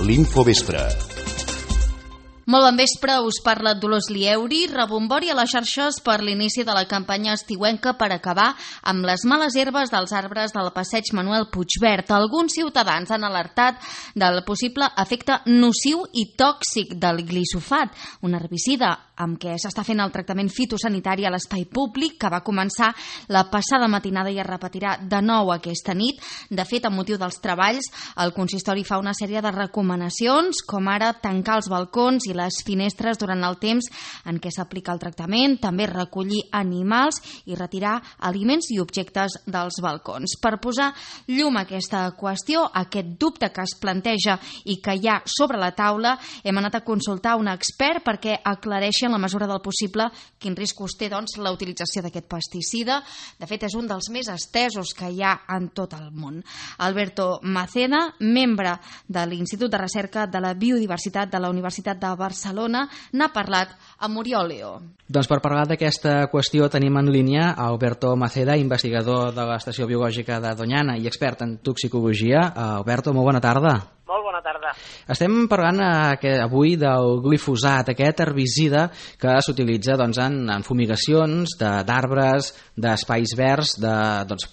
l'Infovespre. Molt bon vespre, us parla Dolors Lieuri. Rebombori a les xarxes per l'inici de la campanya estiuenca per acabar amb les males herbes dels arbres del passeig Manuel Puigvert. Alguns ciutadans han alertat del possible efecte nociu i tòxic del glisofat, un herbicida amb què s'està fent el tractament fitosanitari a l'espai públic, que va començar la passada matinada i es repetirà de nou aquesta nit. De fet, amb motiu dels treballs, el consistori fa una sèrie de recomanacions, com ara tancar els balcons i les finestres durant el temps en què s'aplica el tractament, també recollir animals i retirar aliments i objectes dels balcons. Per posar llum a aquesta qüestió, aquest dubte que es planteja i que hi ha sobre la taula, hem anat a consultar un expert perquè aclareixi en la mesura del possible quin riscos té la utilització d'aquest pesticida. De fet, és un dels més estesos que hi ha en tot el món. Alberto Maceda, membre de l'Institut de Recerca de la Biodiversitat de la Universitat de Barcelona, n'ha parlat amb Oriol Leo. Doncs per parlar d'aquesta qüestió tenim en línia Alberto Maceda, investigador de l'Estació Biològica de Doñana i expert en toxicologia. Alberto, molt bona tarda. Molt bona tarda. Estem parlant avui del glifosat, aquest herbicida que s'utilitza en fumigacions d'arbres, d'espais verds,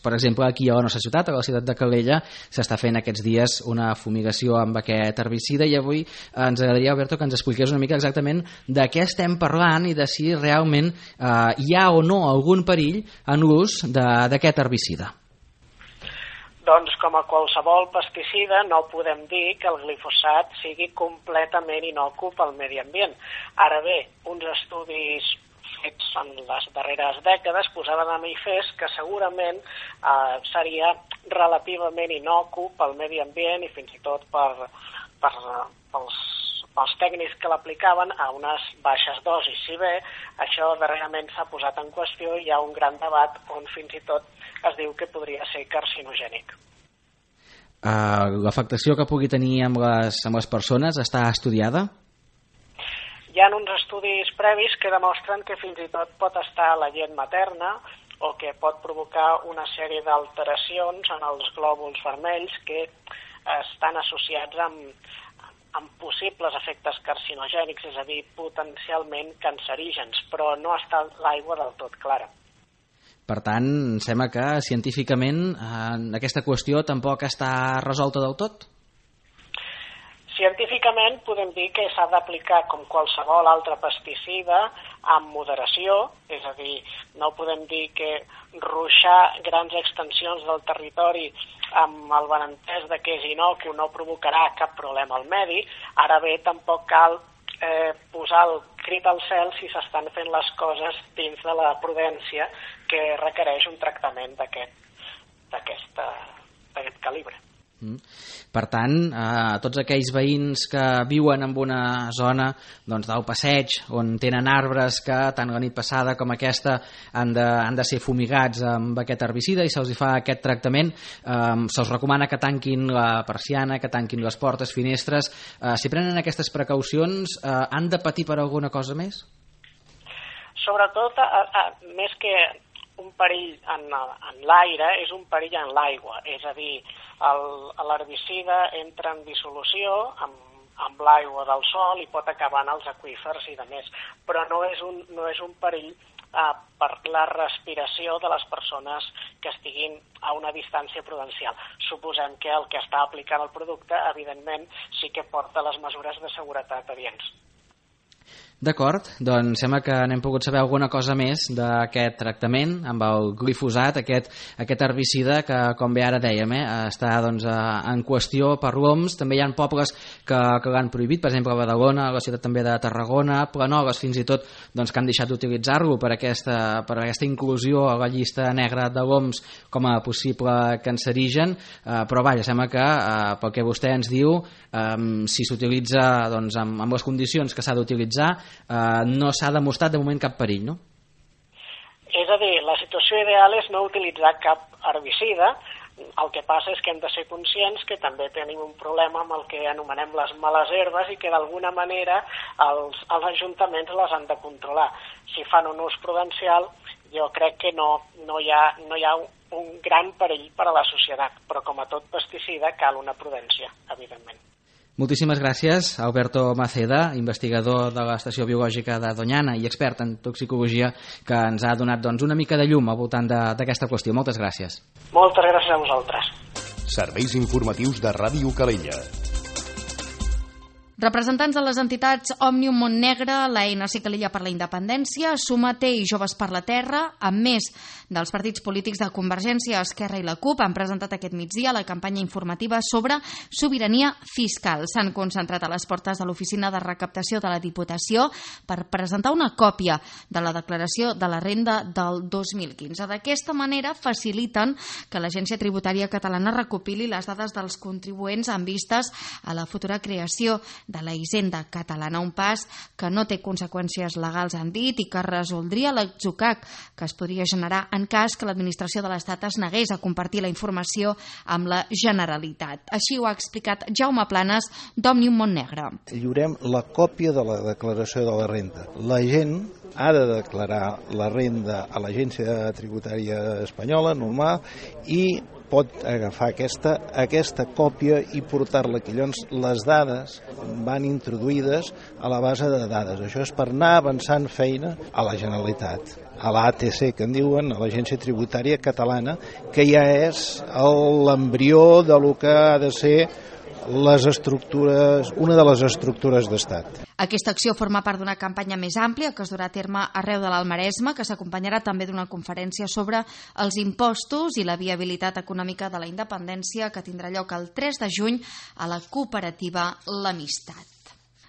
per exemple aquí a la nostra ciutat, a la ciutat de Calella, s'està fent aquests dies una fumigació amb aquest herbicida i avui ens agradaria, Alberto, que ens expliqués una mica exactament de què estem parlant i de si realment hi ha o no algun perill en l'ús d'aquest herbicida. Doncs com a qualsevol pesticida no podem dir que el glifosat sigui completament innocu pel medi ambient. Ara bé, uns estudis fets en les darreres dècades posaven de manifest que segurament seria relativament innocu pel medi ambient i fins i tot pels tècnics que l'aplicaven a unes baixes dosis. Si bé això darrerament s'ha posat en qüestió, hi ha un gran debat on fins i tot es diu que podria ser carcinogènic. L'afectació que pugui tenir amb les persones està estudiada? Hi ha uns estudis previs que demostren que fins i tot pot estar a la llet materna o que pot provocar una sèrie d'alteracions en els glòbuls vermells que estan associats amb possibles efectes carcinogènics, és a dir, potencialment cancerígens, però no està l'aigua del tot clara. Per tant, sembla que científicament aquesta qüestió tampoc està resolta del tot? Científicament podem dir que s'ha d'aplicar com qualsevol altre pesticida amb moderació, és a dir, no podem dir que ruixar grans extensions del territori amb el benentès de que és innocu no provocarà cap problema al medi. Ara bé, tampoc cal posar el crit al cel si s'estan fent les coses dins de la prudència que requereix un tractament d'aquest calibre. Per tant, tots aquells veïns que viuen en una zona del passeig on tenen arbres que tant la nit passada com aquesta han de ser fumigats amb aquest herbicida i se'ls fa aquest tractament, se'ls recomana que tanquin la persiana, que tanquin les portes, finestres. Si prenen aquestes precaucions, han de patir per alguna cosa més? Sobretot, més que un perill en l'aire, és un perill en l'aigua, és a dir, l'herbicida entra en dissolució amb l'aigua del sol i pot acabar en els aqüífers i de més, però no és un perill per la respiració de les persones que estiguin a una distància prudencial. Suposem que el que està aplicant el producte, evidentment, sí que porta les mesures de seguretat adients. D'acord, doncs sembla que n'hem pogut saber alguna cosa més d'aquest tractament amb el glifosat, aquest herbicida que, com bé ara dèiem, està en qüestió per l'OMS. També hi ha pobles que l'han prohibit, per exemple a Badalona, a la ciutat també de Tarragona, Planoles fins i tot que han deixat d'utilitzar-lo per aquesta inclusió a la llista negra de l'OMS com a possible cancerigen, però vaja, sembla que pel que vostè ens diu, si s'utilitza amb les condicions que s'ha d'utilitzar, no s'ha demostrat de moment cap perill, no? És a dir, la situació ideal és no utilitzar cap herbicida. El que passa és que hem de ser conscients que també tenim un problema amb el que anomenem les males herbes i que d'alguna manera els ajuntaments les han de controlar. Si fan un ús prudencial, jo crec que no hi ha un gran perill per a la societat, però com a tot pesticida cal una prudència, evidentment. Moltíssimes gràcies, Alberto Maceda, investigador de l'Estació Biològica de Doñana i expert en toxicologia, que ens ha donat una mica de llum al voltant d'aquesta qüestió. Moltes gràcies. Moltes gràcies a vosaltres. Serveis informatius de Ràdio Calella. Representants de les entitats Òmnium Montnegre, l'ANC Calella per la Independència, Sumate i Joves per la Terra, amb més dels partits polítics de Convergència, Esquerra i la CUP, han presentat aquest migdia la campanya informativa sobre sobirania fiscal. S'han concentrat a les portes de l'Oficina de Recaptació de la Diputació per presentar una còpia de la declaració de la renda del 2015. D'aquesta manera faciliten que l'Agència Tributària Catalana recopili les dades dels contribuents en vistes a la futura creació de la Hisenda Catalana, un pas que no té conseqüències legals, han dit, i que resoldria l'atzucac que es podria generar en cas que l'administració de l'Estat es negués a compartir la informació amb la Generalitat. Així ho ha explicat Jaume Planes, d'Òmnium Montnegre. Lliurem la còpia de la declaració de la renda. La gent ha de declarar la renda a l'Agència Tributària Espanyola, normal, i pot agafar aquesta còpia i portar-la aquí. Llavors, les dades van introduïdes a la base de dades. Això és per anar avançant feina a la Generalitat, a l'ATC, que en diuen, a l'Agència Tributària Catalana, que ja és l'embrió de lo que ha de ser una de les estructures d'estat. Aquesta acció forma part d'una campanya més àmplia que es durà a terme arreu de l'Alt Maresme, que s'acompanyarà també d'una conferència sobre els impostos i la viabilitat econòmica de la independència, que tindrà lloc el 3 de juny a la cooperativa L'Amistat.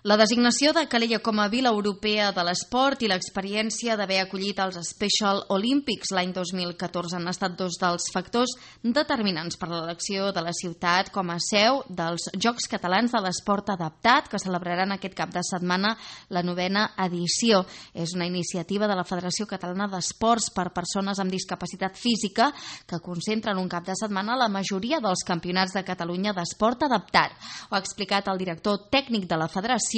La designació de Calella com a Vila Europea de l'Esport i l'experiència d'haver acollit els Special Olympics l'any 2014 han estat dos dels factors determinants per l'elecció de la ciutat com a seu dels Jocs Catalans de l'Esport Adaptat, que celebraran aquest cap de setmana la 9ª edició. És una iniciativa de la Federació Catalana d'Esports per persones amb discapacitat física que concentra en un cap de setmana la majoria dels campionats de Catalunya d'esport adaptat. Ho ha explicat el director tècnic de la Federació,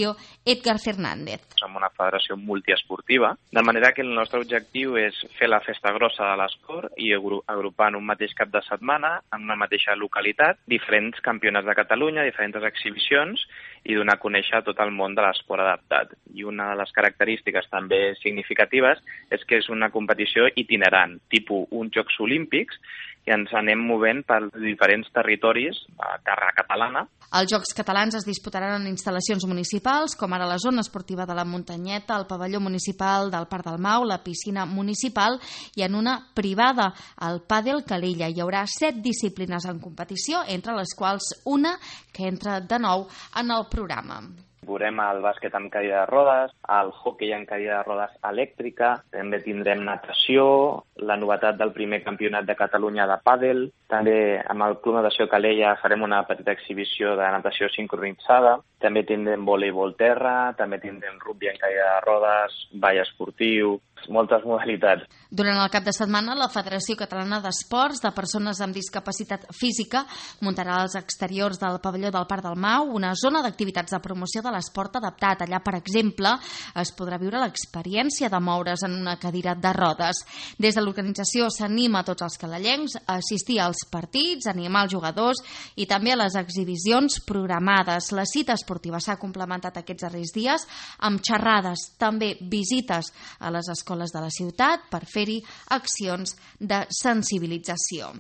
Edgar Fernández. Som una federació multiesportiva, de manera que el nostre objectiu és fer la festa grossa de l'esport i agrupar en un mateix cap de setmana, en una mateixa localitat, diferents campionats de Catalunya, diferents exhibicions i donar a conèixer tot el món de l'esport adaptat. I una de les característiques també significatives és que és una competició itinerant, tipus uns Jocs Olímpics, i ens anem movent per diferents territoris a terra catalana. Els Jocs Catalans es disputaran en instal·lacions municipals, com ara la zona esportiva de la Muntanyeta, el pavelló municipal del Parc del Mau, la piscina municipal i en una privada, el Pàdel Calella. Hi haurà 7 disciplines en competició, entre les quals una que entra de nou en el programa. Veurem el bàsquet amb cadira de rodes, el hoquei amb cadira de rodes elèctrica, també tindrem natació, la novetat del primer campionat de Catalunya de pàdel, també amb el Club Natació Calella farem una petita exhibició de natació sincronitzada, també tindrem voleibol terra, també tindrem rugby amb cadira de rodes, ball esportiu, moltes modalitats. Durant el cap de setmana, la Federació Catalana d'Esports de Persones amb Discapacitat Física muntarà als exteriors del pavelló del Parc del Mau una zona d'activitats de promoció de l'esport adaptat. Allà, per exemple, es podrà viure l'experiència de moure's en una cadira de rodes. Des de l'organització s'anima a tots els calellencs a assistir als partits, animar els jugadors i també a les exhibicions programades. La cita esportiva s'ha complementat aquests darrers dies amb xerrades, també visites a les escoles de la ciutat per fer-hi accions de sensibilització.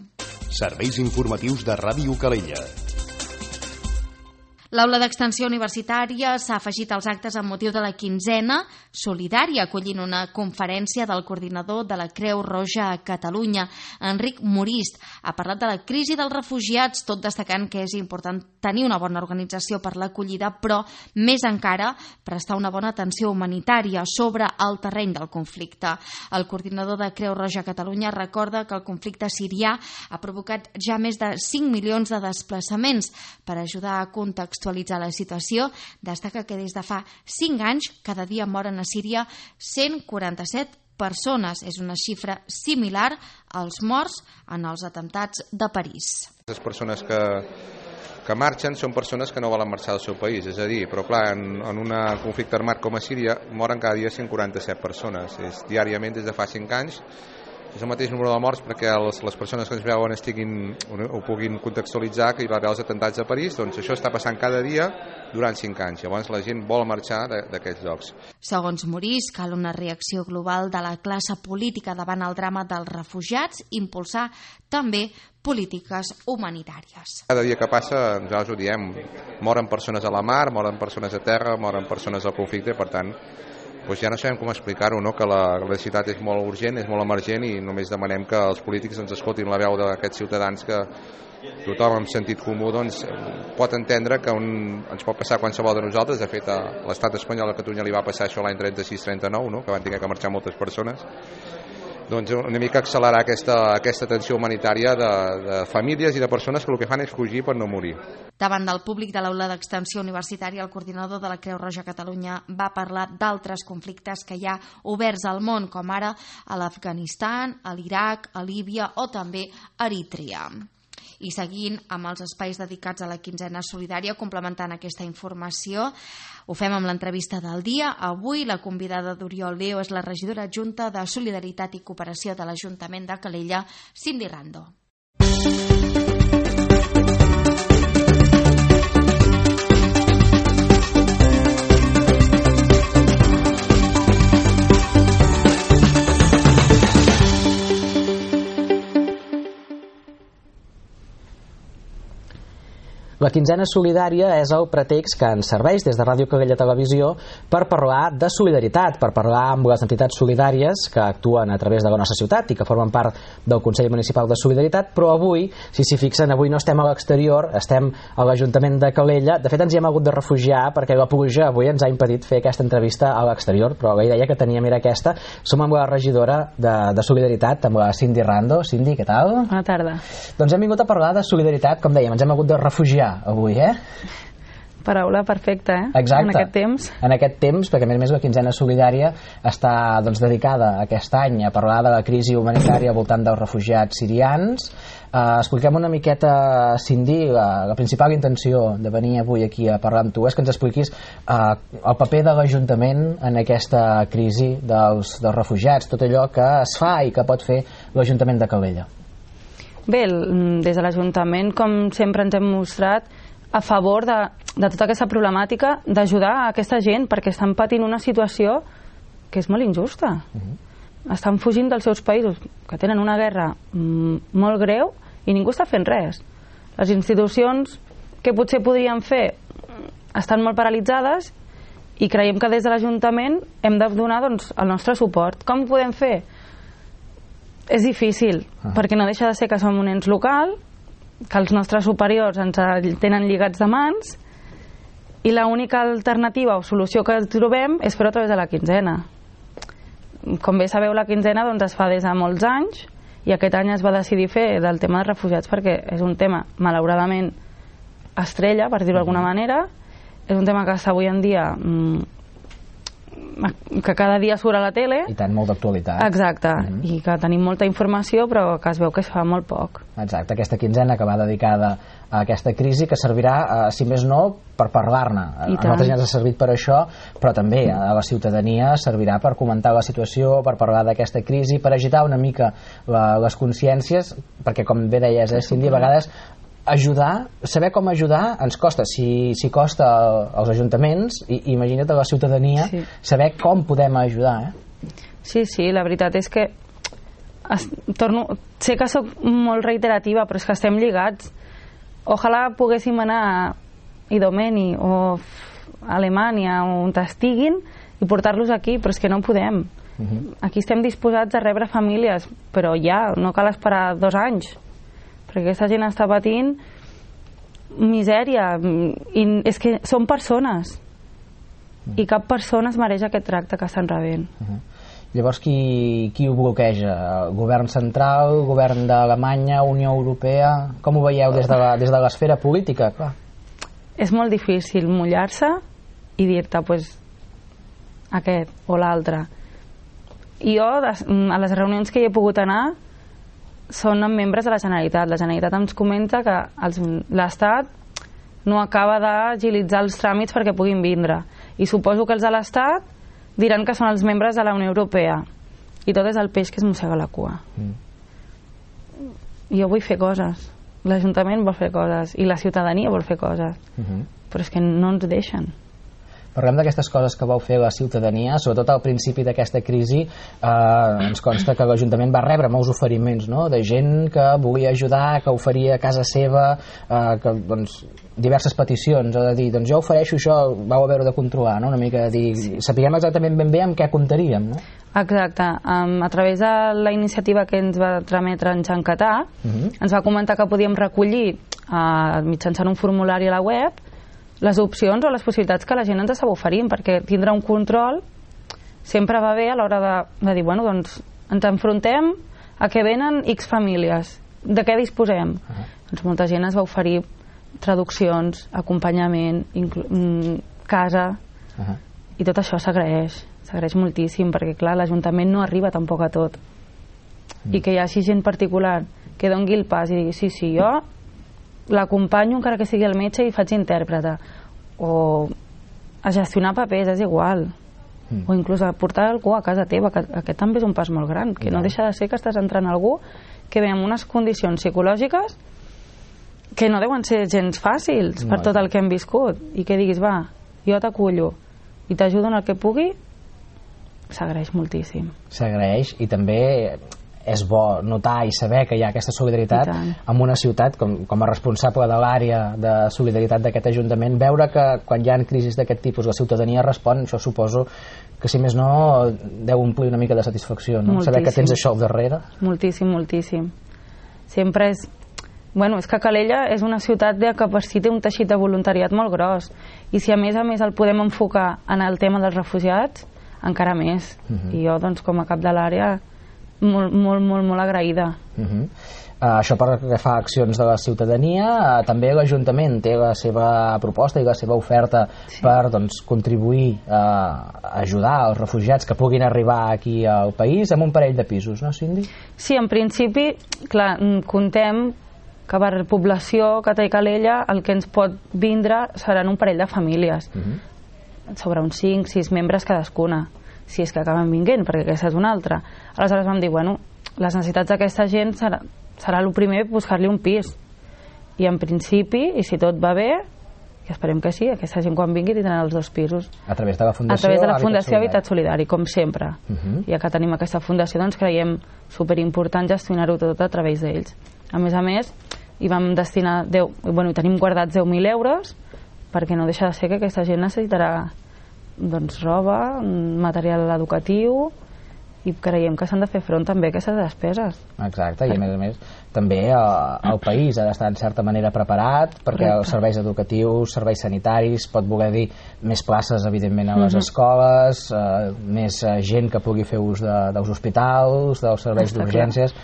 Serveis informatius de Ràdio Calella. L'Aula d'Extensió Universitària s'ha afegit als actes amb motiu de la quinzena solidària, acollint una conferència del coordinador de la Creu Roja a Catalunya, Enric Morist. Ha parlat de la crisi dels refugiats, tot destacant que és important tenir una bona organització per l'acollida, però més encara prestar una bona atenció humanitària sobre el terreny del conflicte. El coordinador de Creu Roja a Catalunya recorda que el conflicte sirià ha provocat ja més de 5 milions de desplaçaments. Per ajudar a contextualitzar la situació, destaca que des de fa 5 anys cada dia moren a Síria 147 persones. És una xifra similar als morts en els atemptats de París. Les persones que marxen són persones que no volen marxar del seu país, és a dir, però clar, en un conflicte armat com a Síria moren cada dia 147 persones. Diàriament des de fa 5 anys és el mateix número de morts perquè les persones que ens veuen ho puguin contextualitzar, que hi va haver els atentats a París. Doncs això està passant cada dia durant 5 anys. Llavors la gent vol marxar d'aquests llocs. Segons Morís, cal una reacció global de la classe política davant el drama dels refugiats, impulsar també polítiques humanitàries. Cada dia que passa, nosaltres ho diem, moren persones a la mar, moren persones a terra, moren persones al conflicte, per tant, doncs ja no sabem com explicar-ho, no? Que la necessitat és molt urgent, és molt emergent i només demanem que els polítics ens escoltin la veu d'aquests ciutadans que tothom amb sentit comú doncs, pot entendre que ens pot passar qualsevol de nosaltres. De fet, a l'estat espanyol, a Catalunya li va passar això l'any 36-39, no? Que van haver que marxar moltes persones. Doncs una mica accelerar aquesta atenció humanitària de famílies i de persones que el que fan és fugir per no morir. Davant del públic de l'aula d'extensió universitària, el coordinador de la Creu Roja Catalunya va parlar d'altres conflictes que hi ha oberts al món, com ara a l'Afganistan, a l'Iraq, a Líbia o també a Eritrea. I seguint amb els espais dedicats a la quinzena solidària, complementant aquesta informació, ho fem amb l'entrevista del dia. Avui la convidada d'Oriol Leo és la regidora adjunta de Solidaritat i Cooperació de l'Ajuntament de Calella, Cindy Rando. La quinzena solidària és el pretext que ens serveix des de Ràdio Calella Televisió per parlar de solidaritat, per parlar amb les entitats solidàries que actuen a través de la nostra ciutat i que formen part del Consell Municipal de Solidaritat, però avui, si s'hi fixen, avui no estem a l'exterior, estem a l'Ajuntament de Calella. De fet, ens hi hem hagut de refugiar perquè la pluja avui ens ha impedit fer aquesta entrevista a l'exterior, però la idea que teníem era aquesta. Som amb la regidora de Solidaritat, amb la Cindy Rando. Cindy, què tal? Bona tarda. Doncs hem vingut a parlar de solidaritat, com dèiem, ens hem hagut de refugiar avui, Paraula perfecta, Exacte. En aquest temps. En aquest temps, perquè a més la quinzena solidària està dedicada aquest any a parlar de la crisi humanitària al voltant dels refugiats sirians. Expliquem una miqueta, Cindy, la principal intenció de venir avui aquí a parlar amb tu és que ens expliquis el paper de l'Ajuntament en aquesta crisi dels refugiats, tot allò que es fa i que pot fer l'Ajuntament de Calella. Bé, des de l'Ajuntament, com sempre ens hem mostrat a favor de tota aquesta problemàtica, d'ajudar a aquesta gent, perquè estan patint una situació que és molt injusta. Estan fugint dels seus països, que tenen una guerra molt greu, i ningú està fent res. Les institucions que potser podrien fer estan molt paralitzades, i creiem que des de l'Ajuntament hem de donar el nostre suport. Com ho podem fer? És difícil, perquè no deixa de ser que som un ens local, que els nostres superiors ens tenen lligats de mans, i l'única alternativa o solució que trobem és fer-ho a través de la quinzena. Com bé sabeu, la quinzena es fa des de molts anys, i aquest any es va decidir fer del tema dels refugiats perquè és un tema, malauradament, estrella, per dir-ho d'alguna manera. És un tema que està avui en dia que cada dia surt a la tele. I tant, molt d'actualitat. Exacte, i que tenim molta informació, però que es veu que es fa molt poc. Exacte, aquesta quinzena que va dedicada a aquesta crisi, que servirà, si més no, per parlar-ne. A nosaltres ja ens ha servit per això, però també a la ciutadania servirà per comentar la situació, per parlar d'aquesta crisi, per agitar una mica les consciències, perquè com bé deies, Cindy, a vegades ajudar, saber com ajudar ens costa, si costa als ajuntaments, imagina't a la ciutadania, saber com podem ajudar. Sí, la veritat és que sé que sóc molt reiterativa, però és que estem lligats. Ojalà poguéssim anar a Idomeni o a Alemanya o on estiguin i portar-los aquí, però és que no podem. Aquí estem disposats a rebre famílies, però ja, no cal esperar 2 anys, perquè aquesta gent està patint misèria, i és que són persones, i cap persona es mereix aquest tracte que estan rebent. Llavors, qui ho bloqueja? El govern central, el govern d'Alemanya, Unió Europea? Com ho veieu des de l'esfera política? Clar. És molt difícil mullar-se i dir-te, aquest o l'altre. I jo, a les reunions que hi he pogut anar, són amb membres de la Generalitat. La Generalitat ens comenta que l'Estat no acaba d'agilitzar els tràmits perquè puguin vindre. I suposo que els de l'Estat diran que són els membres de la Unió Europea. i tot és el peix que es mossega la cua. Jo vull fer coses, l'Ajuntament vol fer coses i la ciutadania vol fer coses, però és que no ens deixen. Parlem d'aquestes coses que vau fer la ciutadania, sobretot al principi d'aquesta crisi. Ens consta que l'Ajuntament va rebre molts oferiments, no?, de gent que volia ajudar, que oferia a casa seva, que, doncs, diverses peticions, de dir, doncs jo ofereixo això, vau haver-ho de controlar, no?, una mica de dir, sapiguem exactament ben bé amb què comptaríem, no? Exacte, a través de la iniciativa que ens va trametre en Jean Catà, ens va comentar que podíem recollir mitjançant un formulari a la web les opcions o les possibilitats que la gent ens estava oferint, perquè tindre un control sempre va bé a l'hora de dir, bueno, doncs ens enfrontem a que venen X famílies, de què disposem? Doncs molta gent es va oferir traduccions, acompanyament, casa, i tot això s'agraeix moltíssim, perquè clar, l'Ajuntament no arriba tampoc a tot, i que hi hagi gent particular que dongui el pas i digui, sí, jo l'acompanyo encara que sigui el metge i faig intèrprete, o a gestionar papers, és igual, o inclús a portar algú a casa teva, que aquest també és un pas molt gran, que no deixa de ser que estàs entrant algú que ve amb unes condicions psicològiques que no deuen ser gens fàcils per tot el que hem viscut, i que diguis, va, jo t'acullo i t'ajudo en el que pugui, s'agraeix moltíssim. S'agraeix, i també és bo notar i saber que hi ha aquesta solidaritat en una ciutat, com a responsable de l'àrea de solidaritat d'aquest Ajuntament, veure que quan hi ha crisis d'aquest tipus la ciutadania respon, això suposo que si més no deu omplir una mica de satisfacció, no? Saber que tens això al darrere. Moltíssim. Sempre és... Bueno, és que Calella és una ciutat que té un teixit de voluntariat molt gros, i si a més el podem enfocar en el tema dels refugiats, encara més. I jo, doncs, com a cap de l'àrea, molt agraïda. Això per que fa accions de la ciutadania. També l'Ajuntament té la seva proposta i la seva oferta per, doncs, contribuir a ajudar els refugiats que puguin arribar aquí al país amb un parell de pisos, no, Cindy? Sí, en principi, clar, contem que per població que té Calella el que ens pot vindre seran un parell de famílies, sobre uns 5-6 membres cadascuna, si és que acaben vinguent, perquè aquesta és una altra. Aleshores vam dir, bueno, les necessitats d'aquesta gent serà el primer buscar-li un pis, i en principi, i si tot va bé, i esperem que sí, aquesta gent quan vingui tindran els 2 pisos a través de la Fundació Habitat Solidari, com sempre. Ja que tenim aquesta fundació, doncs creiem superimportant gestionar-ho tot a través d'ells. A més, hi vam destinar tenim guardats 10.000 euros, perquè no deixa de ser que aquesta gent necessitarà, doncs, roba, material educatiu, i creiem que s'han de fer front també a aquestes despeses. Exacte, i a més també el país ha d'estar en certa manera preparat, perquè els serveis educatius, serveis sanitaris, pot voler dir més places evidentment a les escoles, més gent que pugui fer ús dels hospitals, dels serveis d'urgències.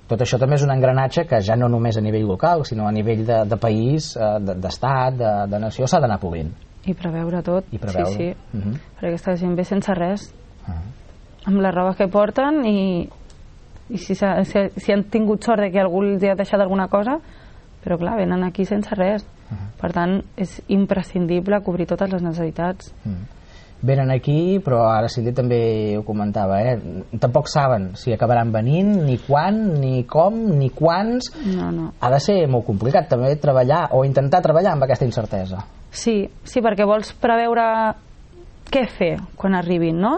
Tot això també és un engranatge que ja no només a nivell local, sinó a nivell de país, d'estat, de nació, s'ha d'anar polint. I preveure tot, sí, perquè aquesta gent ve sense res, amb la roba que porten, i si han tingut sort de que algú els ha deixat alguna cosa, però clar, venen aquí sense res. Per tant, és imprescindible cobrir totes les necessitats. Venen aquí, però ara Cindy també ho comentava, tampoc saben si acabaran venint, ni quan, ni com, ni quants. No. Ha de ser molt complicat també treballar o intentar treballar amb aquesta incertesa. Sí, perquè vols preveure què fer quan arribin, no?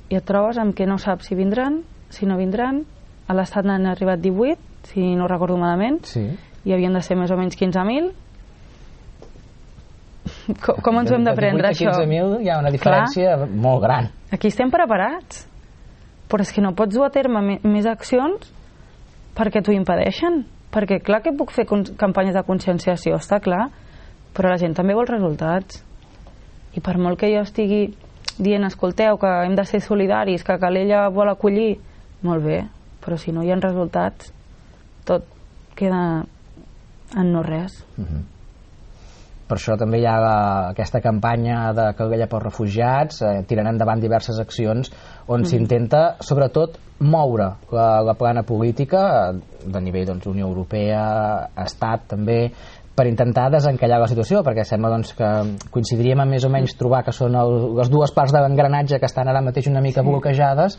I et trobes amb que no saps si vindran, si no vindran. A l'estat n'han arribat 18, si no recordo malament, i havien de ser més o menys 15.000. Com ens ho hem de prendre, això? De 15.000 hi ha una diferència molt gran. Aquí estem preparats, però és que no pots dur a terme més accions perquè t'ho impedeixen. Perquè clar que puc fer campanyes de conscienciació, està clar, però la gent també vol resultats. I per molt que jo estigui dient, escolteu, que hem de ser solidaris, que Calella vol acollir, molt bé, però si no hi ha resultats, tot queda en no res. Per això també hi ha aquesta campanya de Calella pels refugiats, tirant endavant diverses accions on s'intenta sobretot moure la plana política de nivell Unió Europea, Estat també, per intentar desencallar la situació, perquè sembla doncs, que coincidiríem en més o menys trobar que són les dues parts de l'engranatge que estan ara mateix una mica bloquejades,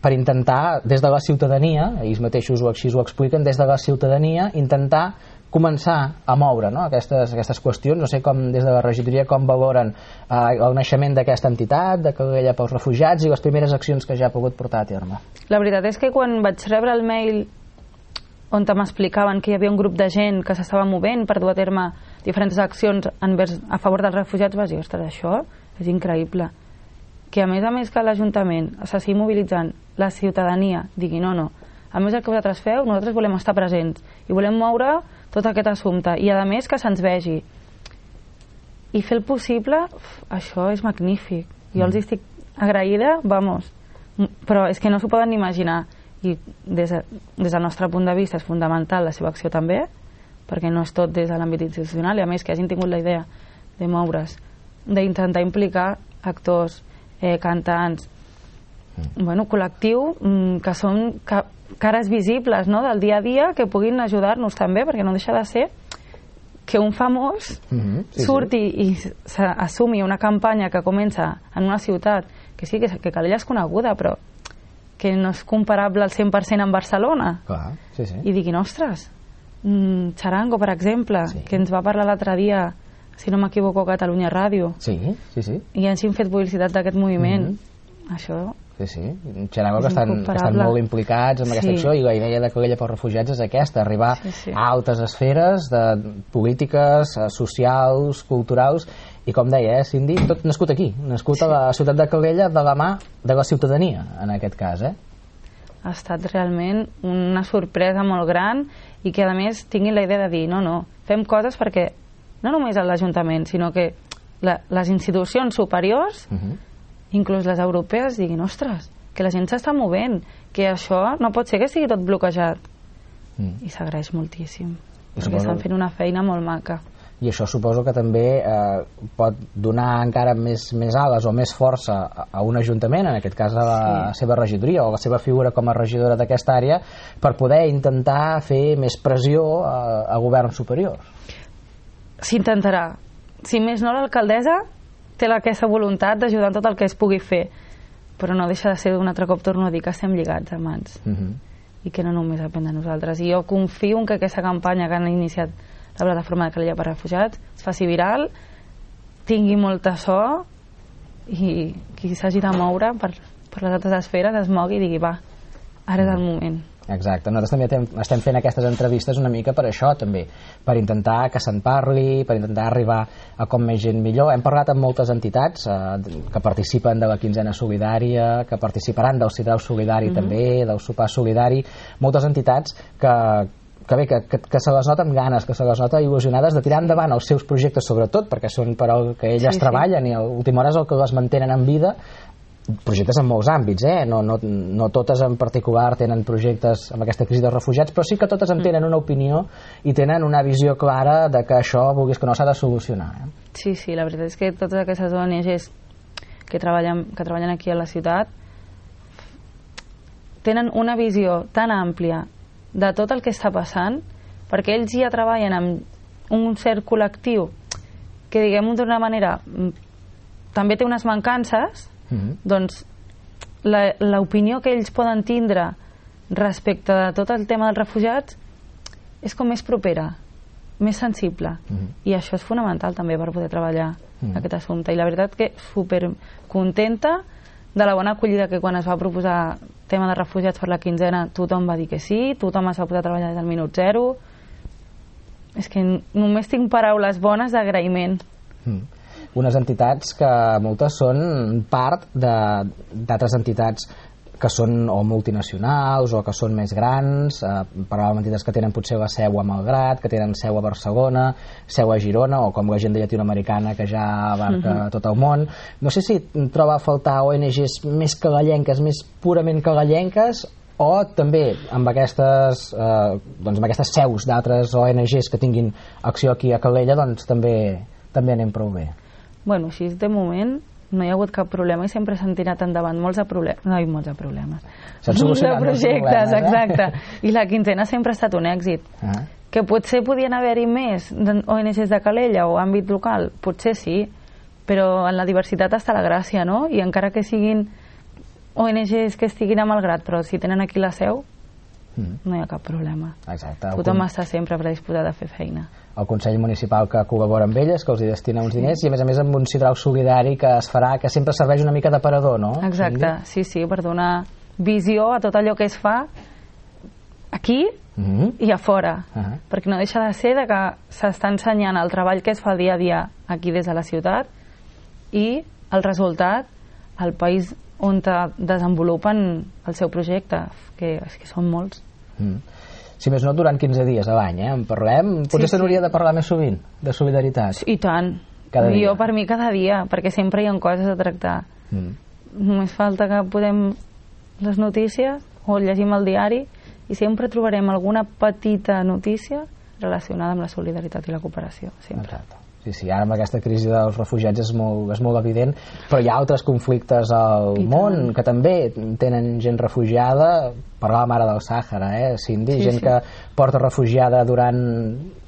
per intentar, des de la ciutadania, ells mateixos així ho expliquen, des de la ciutadania, intentar començar a moure, no? aquestes qüestions. No sé com des de la regidoria com valoren el naixement d'aquesta entitat, de Calella pels Refugiats, i les primeres accions que ja ha pogut portar a terme. La veritat és que quan vaig rebre el mail on m'explicaven que hi havia un grup de gent que s'estava movent per dur a terme diferents accions a favor dels refugiats, vaig dir, ostres, això és increïble. Que a més que l'Ajuntament s'estigui mobilitzant, la ciutadania digui no, a més del que vosaltres feu, nosaltres volem estar presents i volem moure tot aquest assumpte, i a més que se'ns vegi i fer el possible, això és magnífic. Jo els estic agraïda, vamos, però és que no s'ho poden ni imaginar, i des del nostre punt de vista és fundamental la seva acció també, perquè no és tot des de l'àmbit institucional, i a més que hagin tingut la idea de moure's, d'intentar implicar actors, cantants, col·lectiu, que són cares visibles, no?, del dia a dia, que puguin ajudar-nos també, perquè no deixa de ser que un famós surti i assumi una campanya que comença en una ciutat que sí, que Calella és coneguda, però que no és comparable al 100% amb Barcelona. Clar, sí. I diguin, ostres, Charango, per exemple, que ens va parlar l'altre dia, si no m'equivoco, a Catalunya Ràdio. Sí. I hagin fet publicitat d'aquest moviment. Això... Sí. Charango que estan molt implicats en aquesta acció, i la idea de Calella pels Refugiats és aquesta, arribar a altes esferes polítiques, socials, culturals, i com deia, Cindy, tot nascut aquí, nascut a la ciutat de Calella de la mà de la ciutadania, en aquest cas. Ha estat realment una sorpresa molt gran, i que a més tinguin la idea de dir, no, fem coses perquè no només a l'Ajuntament, sinó que les institucions superiors, inclús les europees, diguin, ostres, que la gent s'està movent, que això no pot ser que sigui tot bloquejat. I s'agraeix moltíssim, perquè estan fent una feina molt maca. I això suposo que també pot donar encara més ales o més força a un ajuntament, en aquest cas a la seva regidoria o a la seva figura com a regidora d'aquesta àrea, per poder intentar fer més pressió a governs superiors. S'intentarà. Si més no, l'alcaldessa té aquesta voluntat d'ajudar en tot el que es pugui fer, però no deixa de ser, un altre cop torno a dir, que estem lligats a mans, i que no només depèn de nosaltres. I jo confio en que aquesta campanya que han iniciat la plataforma de Calella per Refugiats es faci viral, tingui molta so, i qui s'hagi de moure per les altres esferes es mogui i digui, va, ara és el moment. Exacte, nosaltres també estem fent aquestes entrevistes una mica per això també, per intentar que se'n parli, per intentar arribar a com més gent millor. Hem parlat amb moltes entitats que participen de la quinzena solidària, que participaran del Sidrau Solidari també, del sopar solidari, moltes entitats que se les nota amb ganes, que se les nota il·lusionades de tirar endavant els seus projectes, sobretot perquè són per al que elles treballen, i a l'última hora és el que les mantenen en vida. Projectes en molts àmbits, no totes en particular tenen projectes amb aquesta crisi dels refugiats, però sí que totes en tenen una opinió i tenen una visió clara de que això, vulguis que no, s'ha de solucionar. Sí, la veritat és que totes aquestes ONGs que treballen aquí a la ciutat tenen una visió tan àmplia de tot el que està passant, perquè ells ja treballen amb un cert col·lectiu que, diguem-ho d'una manera, també té unes mancances. Doncs l'opinió que ells poden tindre respecte de tot el tema dels refugiats és com més propera, més sensible, i això és fonamental també per poder treballar aquest assumpte. I la veritat que super contenta de la bona acollida, que quan es va proposar tema de refugiats per la quinzena tothom va dir que sí, tothom es va posar a treballar des del minut zero. És que només tinc paraules bones d'agraïment. Unes entitats que moltes són part d'altres entitats que són o multinacionals o que són més grans, parlàvem d'entitats que tenen potser la seu a Malgrat, que tenen seu a Barcelona, seu a Girona, o com l'agenda llatinoamericana que ja abarca tot el món. No sé si troba a faltar ONGs més calellenques, més purament calellenques, o també amb aquestes seus d'altres ONGs que tinguin acció aquí a Calella, doncs també anem prou bé. Bueno, així de moment no hi ha hagut cap problema i sempre s'han tirat endavant molts de problemes. S'han solucionat molts de projectes, exacte. I la quinzena sempre ha estat un èxit. Que potser podien haver-hi més ONGs de Calella o àmbit local, potser sí, però en la diversitat està la gràcia, no? I encara que siguin ONGs que estiguin a Malgrat, però si tenen aquí la seu, no hi ha cap problema. Exacte. Tothom està sempre predisposat a fer feina. El Consell Municipal que col·labora amb elles, que els hi destina uns diners, i a més amb un sidral solidari que es farà, que sempre serveix una mica d'aparador, no? Exacte, sí, per donar visió a tot allò que es fa aquí i a fora, perquè no deixa de ser que s'està ensenyant el treball que es fa dia a dia aquí des de la ciutat i el resultat al país on desenvolupen el seu projecte, que són molts. Si més no, durant 15 dies a l'any, en parlem. Potser se n'hauria de parlar més sovint, de solidaritat. I tant. Jo per mi cada dia, perquè sempre hi ha coses a tractar. Només falta que posem les notícies o llegim el diari i sempre trobarem alguna petita notícia relacionada amb la solidaritat i la cooperació. Sempre. Exacte. Sí, ara amb aquesta crisi dels refugiats és molt evident, però hi ha altres conflictes al món que també tenen gent refugiada. Parlàvem ara del Sàhara, Cindy, gent que porta refugiada durant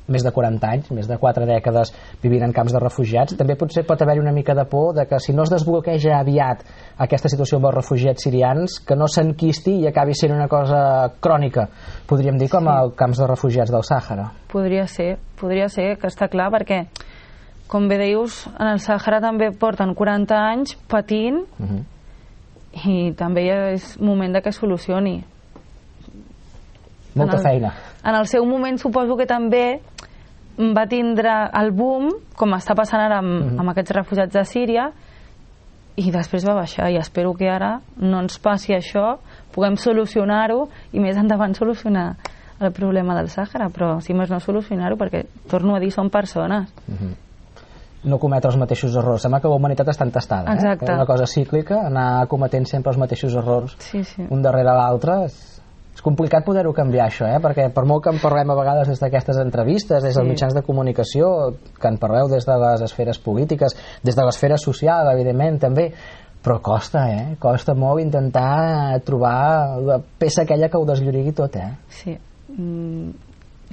més de 40 anys, més de 4 dècades vivint en camps de refugiats. També potser pot haver-hi una mica de por de que si no es desbloqueja aviat aquesta situació amb els refugiats sirians, que no s'enquisti i acabi sent una cosa crònica, podríem dir, com els camps de refugiats del Sàhara. Podria ser, que està clar, perquè com bé dius, en el Sàhara també porten 40 anys patint i també és moment de que es solucioni. Molta feina. En el seu moment suposo que també va tindre el boom, com està passant ara amb aquests refugiats de Síria, i després va baixar, i espero que ara no ens passi això, puguem solucionar-ho i més endavant solucionar el problema del Sàhara, però si més no solucionar-ho, perquè torno a dir, són persones. No cometre els mateixos errors. Sembla que la humanitat està entestada. Exacte. És una cosa cíclica, anar cometent sempre els mateixos errors un darrere l'altre. És complicat poder-ho canviar, això, perquè per molt que en parlem a vegades des d'aquestes entrevistes, des dels mitjans de comunicació, que en parleu des de les esferes polítiques, des de l'esfera social, evidentment, també, però costa, costa molt intentar trobar la peça aquella que ho desllorigui tot, Sí.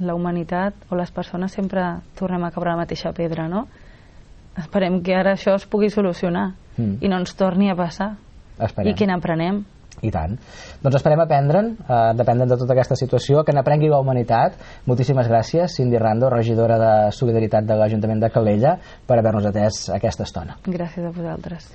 La humanitat o les persones sempre tornem a caure a la mateixa pedra, no? Esperem que ara això es pugui solucionar i no ens torni a passar. Esperem. I que n'aprenem. I tant. Doncs esperem aprendre'n, dependent de tota aquesta situació, que n'aprengui la humanitat. Moltíssimes gràcies, Cindy Rando, regidora de Solidaritat de l'Ajuntament de Calella, per haver-nos atès aquesta estona. Gràcies a vosaltres.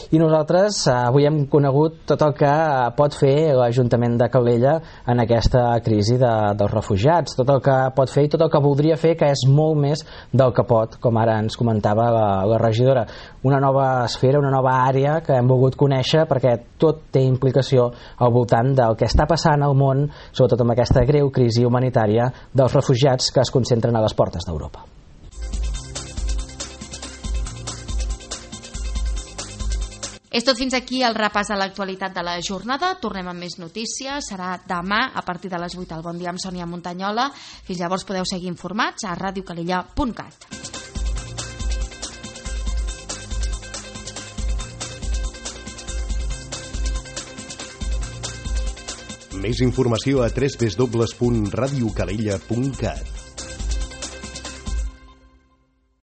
I nosaltres avui hem conegut tot el que pot fer l'Ajuntament de Calella en aquesta crisi dels refugiats, tot el que pot fer i tot el que voldria fer, que és molt més del que pot, com ara ens comentava la regidora. Una nova esfera, una nova àrea que hem volgut conèixer, perquè tot té implicació al voltant del que està passant al món, sobretot amb aquesta greu crisi humanitària dels refugiats que es concentren a les portes d'Europa. És tot fins aquí el repàs de l'actualitat de la jornada. Tornem amb més notícies. Serà demà a partir de les 8 al Bon Dia amb Sònia Montanyola. Fins llavors podeu seguir informats a radiocalella.cat. Més informació a www.radiocalella.cat.